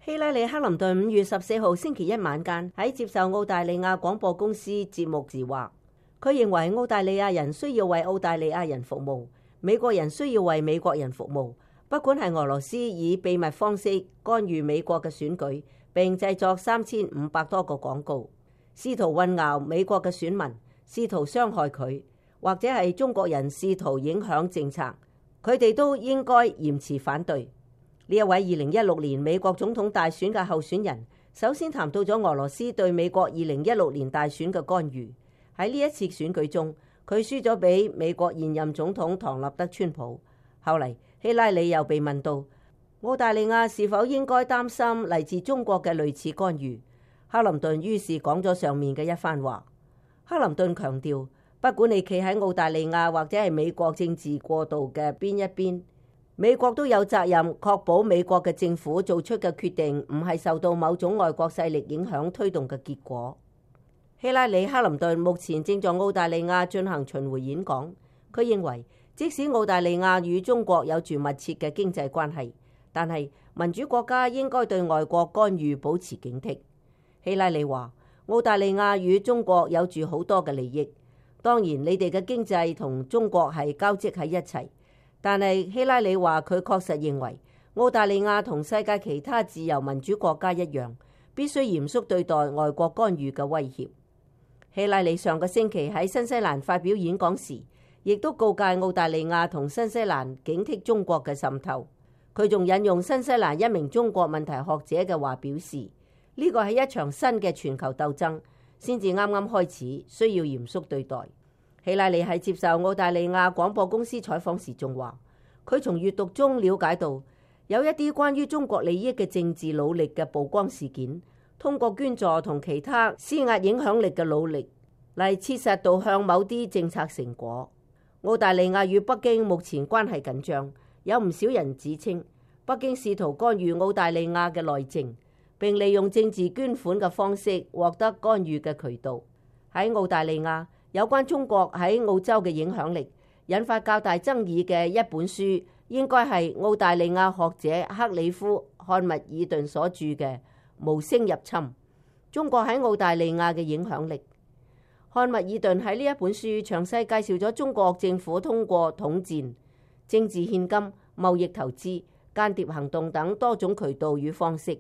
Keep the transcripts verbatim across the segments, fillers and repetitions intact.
希拉里·克林頓五月十四號星期一晚間喺接受澳大利亞廣播公司節目時話，佢認為澳大利亞人需要為澳大利亞人服務，美國人需要為美國人服務。不管係俄羅斯以秘密方式干預美國嘅選舉，並製作三千五百多個廣告，試圖混淆美國嘅選民，試圖傷害佢，或者係中國人試圖影響政策，佢哋都應該嚴詞反對。呢一位二零一六年美國總統大選嘅候選人，首先談到咗俄羅斯對美國二零一六年大選嘅干預。喺呢一次選舉中，佢輸咗俾美國現任總統唐納德川普。後嚟希拉里又被問到澳大利亞是否應該擔心嚟自中國嘅類似干預，克林頓於是講咗上面嘅一番話。克林頓強調，不管你企喺澳大利亞或者係美國政治過渡嘅邊一邊，美國都有責任確保美國嘅政府做出嘅決定唔係受到某種外國勢力影響推動嘅結果。希拉里·克林頓目前正在澳大利亞進行巡迴演講，佢認為即使澳大利亞與中國有住密切嘅經濟關係，但係民主國家應該對外國干預保持警惕。希拉里話，澳大利亞與中國有住好多嘅利益，當然你哋嘅經濟同中國係交織喺一齊。但係希拉里話，佢確實認為澳大利亞同世界其他自由民主國家一樣，必須嚴肅對待外國干預嘅威脅。希拉里上個星期喺新西蘭發表演講時，亦都告誡澳大利亞同新西蘭警惕中國嘅滲透。佢仲引用新西蘭一名中國問題學者嘅話表示，呢個係一場新嘅全球鬥爭，先至啱啱開始，需要嚴肅對待。希拉里喺接受澳大利亞廣播公司採訪時仲話，佢從閱讀中了解到有一啲關於中國利益嘅政治努力嘅曝光事件，通過捐助同其他施壓影響力嘅努力嚟切實導向某啲政策成果。澳大利亞與北京目前關係緊張，有唔少人指稱北京試圖干預澳大利亞嘅內政，並利用政治捐款嘅方式獲得干預嘅渠道。喺澳大利亞，有關中國喺澳洲嘅影響力引發較大爭議嘅一本書，應該係澳大利亞學者克里夫·漢密爾頓所著嘅《無聲入侵：中國喺澳大利亞嘅影響力》。漢密爾頓喺呢一本書詳細介紹咗中國政府通過統戰、政治獻金、貿易投資、間諜行動等多種渠道與方式，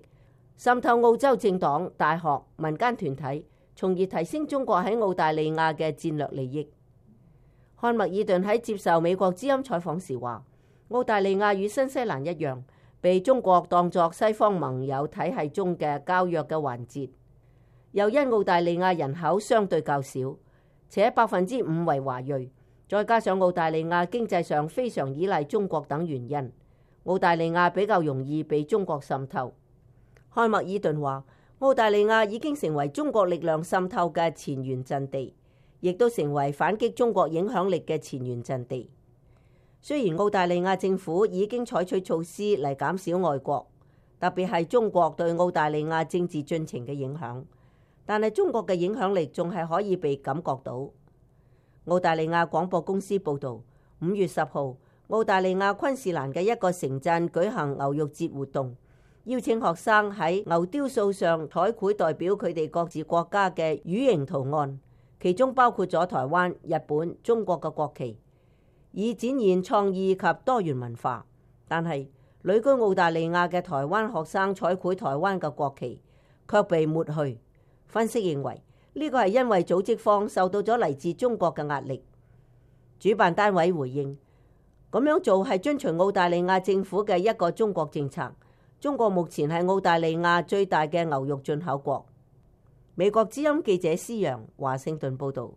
滲透澳洲政黨、大學、民間團體，從而提升中國喺澳大利亞嘅戰略利益。漢密爾頓喺接受美國之音採訪時話，澳大利亞與新西蘭一樣，被中國當作西方盟友體系中嘅較弱嘅環節，又因澳大利亞人口相對較少，且百分之五為華裔，再加上澳大利亞經濟上非常依賴中國等原因，澳大利亞比較容易被中國滲透。漢密爾頓話，澳大利亞已經成為中國力量滲透嘅前沿陣地，亦都成為反擊中國影響力嘅前沿陣地。雖然澳大利亞政府已經採取措施嚟減少外國，特別係中國對澳大利亞政治進程嘅影響，但係中國嘅影響力仲係可以被感覺到。澳大利亞廣播公司報導，五月十號，澳大利亞昆士蘭嘅一個城鎮舉行牛肉節活動，邀請學生喺牛雕塑上彩繪代表佢哋各自國家嘅魚形圖案，其中包括咗台灣、日本、中國嘅國旗，以展現創意及多元文化。但係旅居澳大利亞嘅台灣學生彩繪台灣嘅國旗，卻被抹去。分析認為，呢個係因為組織方受到咗嚟自中國嘅壓力。主辦單位回應，咁樣做係遵循澳大利亞政府嘅一個中國政策。中國目前係澳大利亞最大嘅牛肉進口國。美國之音記者施揚華盛頓報導。